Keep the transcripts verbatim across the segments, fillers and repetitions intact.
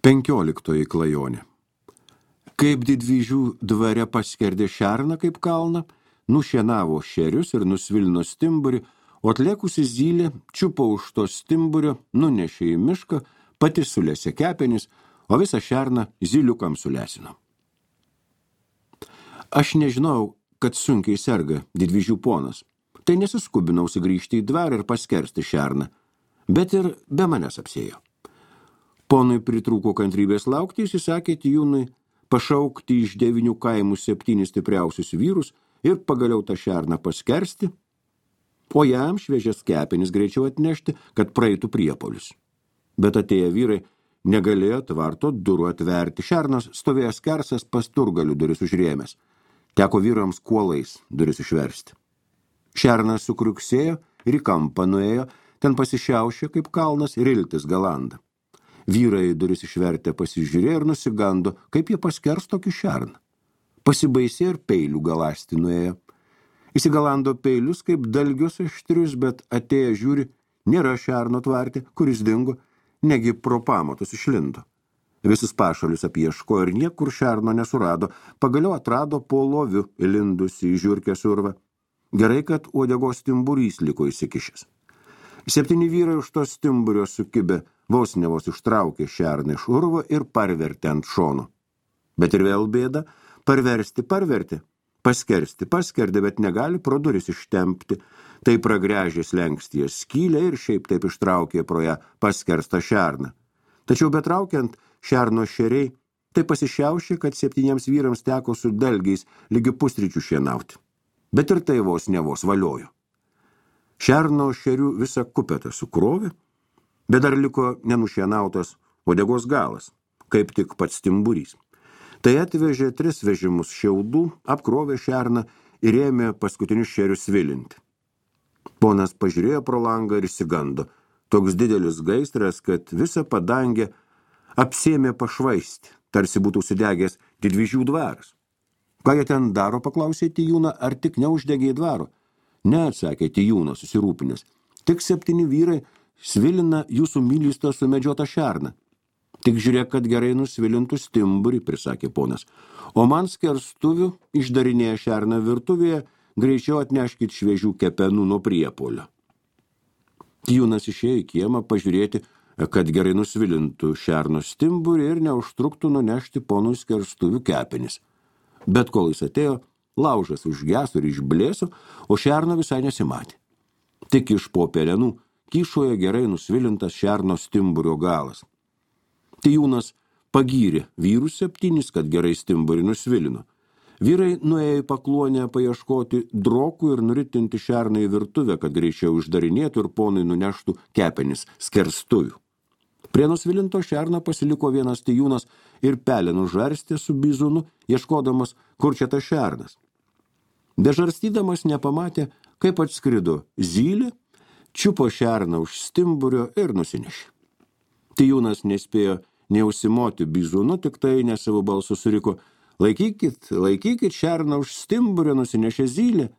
Penkioliktoji klajonė. Kaip didvyžių dvare paskerdė šerną kaip kalną, nušienavo šerius ir nusvilino stimburį, o atlėkusi zylė čiupo už to stimburio, nunešė į mišką, pati sulėsė kepenis, o visą šerną zyliukam sulesino. Aš nežinau, kad sunkiai serga didvyžių ponas. Tai nesiskubinau sugrįžti į dvarą ir paskersti šerną, bet ir be manęs apsėjo. Ponui pritrūko kantrybės laukti, jis įsakė Tijūnui pašaukti iš devinių kaimų septynis stipriausius vyrus ir pagaliau tą šerną paskersti, o jam šviežias kepenis greičiau atnešti, kad praeitų priepolius. Bet atėję vyrai negalėjo tvarto durų atverti. Šernas stovėjo skersas pasturgalių duris užrėmęs. Teko vyrams kuolais duris išversti. Šernas sukriuksėjo ir į kampą nuėjo, ten pasišiaušė kaip kalnas ir iltis galanda. Vyrai duris išvertę pasižiūrėjo ir nusigando, kaip jie paskers tokį šerną. Pasibaisė ir peilių galasti nuėjo. Įsigalando peilius kaip dalgius aštrius, bet atėję žiūri, nėra šerno tvarti, kuris dingo, negi pro pamatus išlindo. Visus pašalius apieško ir niekur šerno nesurado, pagaliau atrado po loviu įlindusi į žiurkę survą. Gerai, kad uodegos stimburys liko įsikišęs. Septyni vyrai už to stimburio sukibę, vos ne vos ištraukė šerną iš urvo ir parvertė ant šono. Bet ir vėl bėda, parversti parvertė, paskersti paskerdė, bet negali pro duris ištempti. Tai pragręžė slenkstyje skylę ir šiaip taip ištraukė pro ją paskerstą šerną. Tačiau betraukiant šerno šeriai, tai pasišiaušė, kad septyniems vyrams teko su dalgiais lygi pusryčių šienauti. Bet ir tai vos ne vos valiojo. Šerno šerių visą kupetą sukrovė, bet dar liko nenušienautas uodegos galas, kaip tik pats stimburys. Tai atvežė tris vežimus šiaudų, apkrovė šerną ir ėmė paskutinius šerius svilinti. Ponas pažiūrėjo pro langą ir išsigando. Toks didelis gaisras, kad visą padangę apsėmė pašvaisti, tarsi būtų sudegęs didvyžių dvaras. Ką jie ten daro, paklausė Tijūną, ar tik neuždegė dvaro? Ne, atsakė Tijūnas susirūpinęs. Tik septyni vyrai svilina jūsų mylystą sumedžiotą šerną. Tik žiūrėk, kad gerai nusvilintų stimburį, prisakė ponas. O man skerstuvių išdarinėję šerną virtuvėje, greičiau atneškit šviežių kepenų nuo priepolio. Tijūnas išėjo į kiemą pažiūrėti, kad gerai nusvilintų šerno stimburį ir neužtruktų nunešti ponui skerstuvių kepenis. Bet kol jis atėjo, laužas užgeso ir išblėso, o šerno visai nesimatė. Tik iš po pelenų kyšoje gerai nusvilintas šerno stimburio galas. Tijūnas pagyrė vyrus septynis, kad gerai stimburį nusvilino. Vyrai nuėjo į pakluonę paieškoti drokų ir nuritinti šerną į virtuvę, kad greičiau uždarinėtų ir ponui nuneštų kepenis skerstuvių. Prie nusvilinto šerno pasiliko vienas Tijūnas ir pelenų žarstė su bizūnu, ieškodamas, kur čia tas šernas. Bežarstydamas nepamatė, kaip atskrido zylė, čiupo šerną už stimburio ir nusinešė. Tijūnas nespėjo neužsimoti bizūnu, tik tai ne savo balsu suriko, laikykit, laikykit šerną už stimburio, nusinešė zylė.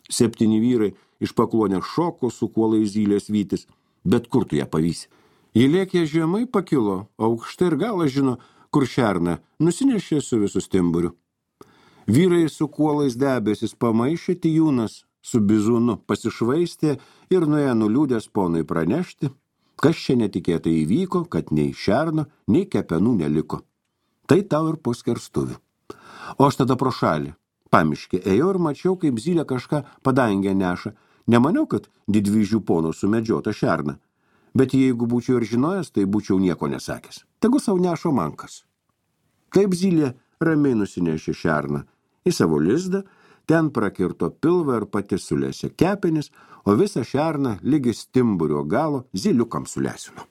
Septyni vyrai iš pakluonės šoko su kuolai zylės vytis, bet kur tu ją pavysi? Ji lėkė žemai pakilo, aukštai ir galas žino, kur šerną nusinešė su visu stimburiu. Vyrai su kuolais debesis pamaišė, Tijūnas su bizūnu pasišvaistė ir nuėjo nuliūdęs ponui pranešti, kas čia netikėtai įvyko, kad nei šerno, nei kepenų neliko. Tai tau ir po skerstuvių. O aš tada pro šalį, pamiškė, ėjau ir mačiau, kaip zylė kažką padangę neša. Nemaniau, kad didvyžių pono sumedžiota šerna. Bet jeigu būčiau ir žinojęs, tai būčiau nieko nesakęs. Tegu sau nešo mankas. Taip zylė ramiai nusinešė šerną į savo lizdą, ten prakirto pilvą ir pati sulėsė kepenis, o visą šerną lygi stimburio galo zyliukam sulesino.